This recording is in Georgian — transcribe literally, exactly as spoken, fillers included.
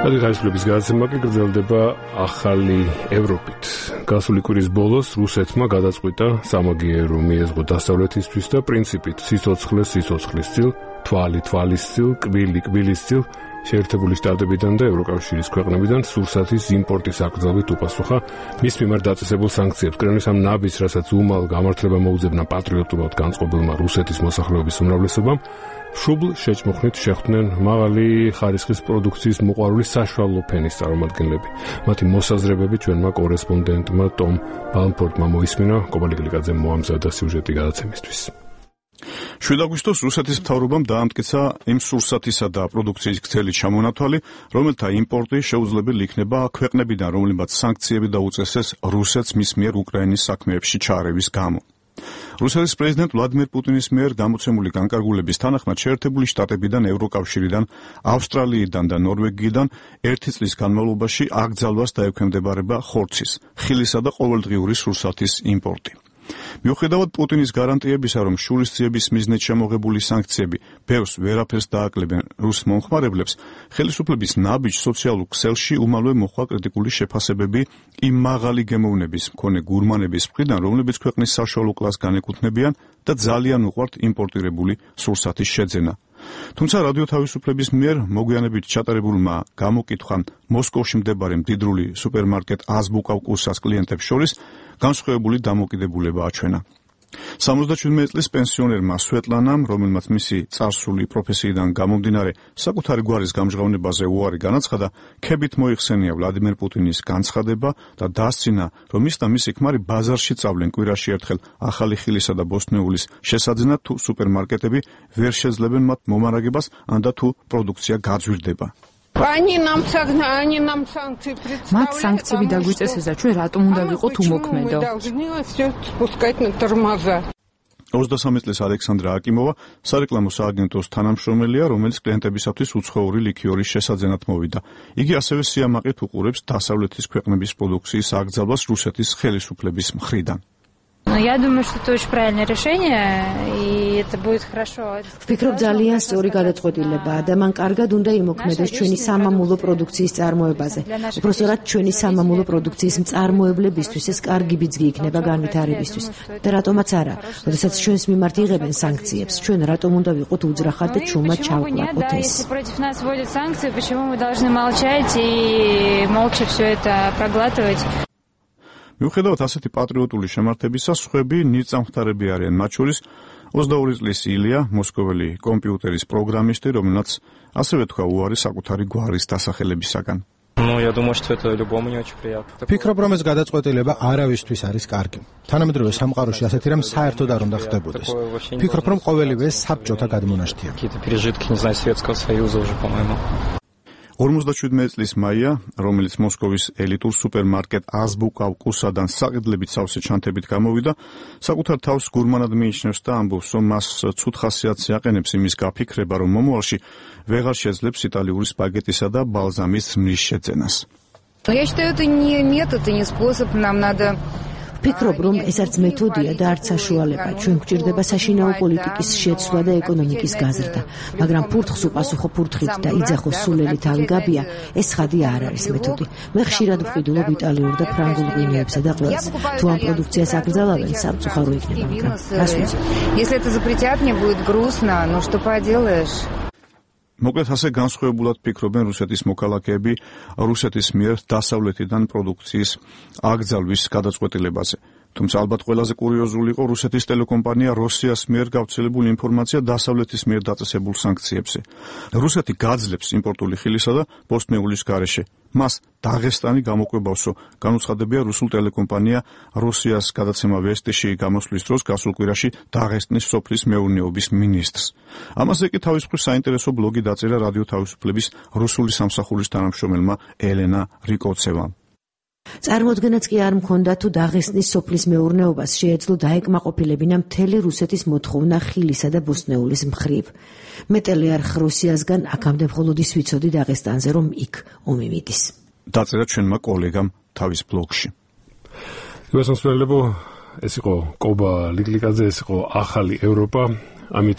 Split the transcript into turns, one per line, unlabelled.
გადაცემების გადაცემა კი გრძელდება ახალი ევროპით. გასული კვირის ბოლოს რუსეთმა გადაწყვიტა სამაგიერო მიეზღო დასავლეთისთვის და პრინციპით სიცოცხლე სიცოცხლისწილ, თვალი თვალისწილ, კბილი კბილისწილ შეერთებული შტატებიდან და ევროკავშირის ქვეყნებიდან სურსათის იმპორტის აკრძალვით უპასუხა მის მიმართ დაწესებულ სანქციებს. კრემლის ამ ნაბიჯს, რასაც უმალ გამართლება მოუძებნა პატრიოტულად განწყობილმა რუსეთის მოსახლეობის უმრავლესობამ, შუბლ შეჭმუხნით შეხვდნენ მაღალი ხარისხის პროდუქციის მოყვარული საშუალო ფენის წარმომადგენლები. მათი მოსაზრებები ჩვენმა კორესპონდენტმა ტომ ბალმფორდმა მოისმინა, კობალიკლიკაძემ მოამზადა სიუჟეტი გადაცემისთვის.
შვიდ აგვისტოს რუსეთის მთავრობამ დაამტკიცა იმ სურსათისა და პროდუქციის გრძელი ჩამონათვალი, რომელთა იმპორტი შეუძლებელი იქნება ქვეყნებიდან, რომლებმაც სანქციები დაუწესეს რუსეთს მის მიერ უკრაინის საქმეებში ჩაარევის გამო. რუსეთის პრეზიდენტ ვლადიმერ პუტინის მიერ გამოცემული განკარგულების თანახმად შეერთებული შტატებიდან, ევროკავშირიდან, ავსტრალიიდან და ნორვეგიიდან ერთი წლის განმავლობაში აკრძალვას დაექვემდებარება ხორცის, ხილისა და ყოველდღიური სურსათის იმპორტი. მიუხედავად პუტინის გარანტიებისა, რომ შურისძიების მიზნით შემოღებული სანქციები ბევრს ვერაფერს დააკლებენ რუს მომხმარებლებს, ხელისუფლების ნაბიჯ სოციალურ ქსელში უმალვე მოხდა კრიტიკული შეფასებები იმ მაღალი გემოვნების მქონე გურმანების მხრიდან, რომლებიც ქვეყნის საშუალო კლასს განეკუთვნებიან და ძალიან უყვართ იმპორტირებული სურსათის შეძენა. თუმცა რადიო თავისუფლების მიერ მოგვიანებით ჩატარებულმა გამოკითხვამ მოსკოვში მდებარე მდიდრული სუპერმარკეტ აზბუკა კურსას კლიენტებს შორის განსხვავებული დამოკიდებულება აჩვენა. სამოცდაშვიდმეტი წლის პენსიონერმა სვეტლანამ, რომელმაც მისი წარსული პროფესიიდან გამომდინარე საკუთარი გვარის გამჟღავნებაზე უარი განაცხადა, ქებით მოიხსენია ვლადიმერ პუტინის განცხადება და დასცინა, რომ ის და მისი ქმარი ბაზარში წავლენ კვირაში ერთხელ ახალი ხილისა და ბოსტნეულის შესაძენად, თუ სუპერმარკეტები ვერ შეძლებენ მათ მომარაგებას, ან და თუ პროდუქცია გაძვირდება.
მათ სანქციები დაგვიწესეს და ჩვენ რატომ უნდა ვიყოთ უმოქმედო?
ოცდასამი წლის ალექსანდრა აკიმოვა სარეკლამო სააგენტოს თანამშრომელია, რომელიც კლიენტებისათვის უცხოური ლიქიორის შესაძენად მოვიდა. იგი ასევე სიამაყით უყურებს დასავლეთის ქვეყნების პროდუქციის აკრძალვას რუსეთის ხელისუფლების მხრიდან.
Я думаю, что это очень правильное решение, и это будет хорошо.
ვფიქრობ, ძალიან სწორი გადაწყვეტილებაა და მან კარგად უნდა იმოქმედოს ჩვენი სამამულო პროდუქციის წარმოებაზე. უпростоრად ჩვენი სამამულო პროდუქციის მწარმოებლებისთვის ეს კარგი ბიძგი იქნება განვითარებისთვის. და რატომაც არა, როდესაც ჩვენს მიმართ იღებენ სანქციებს, ჩვენ რატომ უნდა ვიყოთ უძრახად და ჩუმად ჩავკლაკოთ ეს?
Если против нас вводят санкции, почему мы должны молчать и молча все это проглатывать?
მიუხედავად ასეთი პატრიოტული შემართებისა, სხვები ნიწამხთარები არიან, მათ შორის ოცდაორი წლის ილია, მოსკოველი კომპიუტერის პროგრამისტი, რომელმაც ასევე თქვა უარი საკუთარი გვარის დასახელებისაგან.
ფიქრობ, რომ ეს გადაწყვეტილება არავისთვის არის კარგი. თანამედროვე სამყაროში ასეთი რამ საერთოდ არ უნდა ხდებოდეს. ფიქრობ, რომ ყოველივე საბჭოთა გადმონაშთია.
ორმოცდაშვიდმეტი წლის მაია, რომელიც მოსკოვის ელიტურ სუპერმარკეტ აზბუკა კურსადან საყიდლებით სავსე ჩანთებით გამოვიდა, საკუთარ თავს გურმანად მიიჩნევს და ამბობს, რომ მას ცუდ ხასიათს აყენებს იმის გაფიქრება, რომ მომავალში ვეღარ შეძლებს იტალიური სპაგეტისა და ბალზამის ზმნის შეძენას.
Я считаю, это не метод и не способ, нам надо
ვფიქრობ, რომ ეს არც მეთოდია და არც საშუალება. ჩვენ გვჭირდება საშინაო პოლიტიკის შეცვლა და ეკონომიკის გაზრდა, მაგრამ ფურთხს უპასუხო ფურთხით და იძახოს სულელი თავი გაბია, ეს ხადი არ არის მეთოდი. მე ხშირად ვყიდულობ იტალიურ და ფრანგულ ღვინოებსა და ყველს. თუ ამ პროდუქციას აკრძალავენ, სამწუხარო იქნება, მაგრამ რას ვიცი.
Если это запретят, мне будет грустно, но что поделаешь?
მოკლედ ასე განსხვავებულად ფიქრობენ რუსეთის მოქალაქეები რუსეთის მიერ დასავლეთიდან პროდუქციის აკრძალვის გადაწყვეტილებაზე. თუმცა ალბათ ყველაზე კურიოზული იყო რუსეთის ტელეკომპანია როსიას მიერ გავრცელებული ინფორმაცია დასავლეთის მიერ დაწესებულ სანქციებზე. რუსეთი გაძლებს იმპორტული ხილისა და ბოსტნეულის გარეშე. მას დაღესტანი გამოკვებავსო, განუცხადებია რუსულ ტელეკომპანია როსიას გადაცემა ვესტიში გამოსვლის დროს გასულ კვირაში დაღესტნის სოფლის მეურნეობის მინისტრს. ამაზე კი თავის მხრივ საინტერესო ბლოგი დაწერა რადიო თავისუფლების რუსული სამსახურის თანამშრომელმა ელენა რიკოცევამ.
წარმოდგენაც კი არ მქონდა, თუ დაღესტნის სოფლის მეურნეობას შეეძლო დაეკმაყოფილებინა მთელი რუსეთის მოთხოვნა ხილისა და ბოსტნეულის მხრივ. მე ტელეარხ რუსიასგან აქამდე მხოლოდ ის ვიცოდი დაღესტანზე, რომ იქ ომი მიდის.
დაწერა ჩვენმა კოლეგამ თავის ბლოგში.
ეს იყო კობა ლიკლიკაძე, ეს იყო ახალი ევროპა. ამით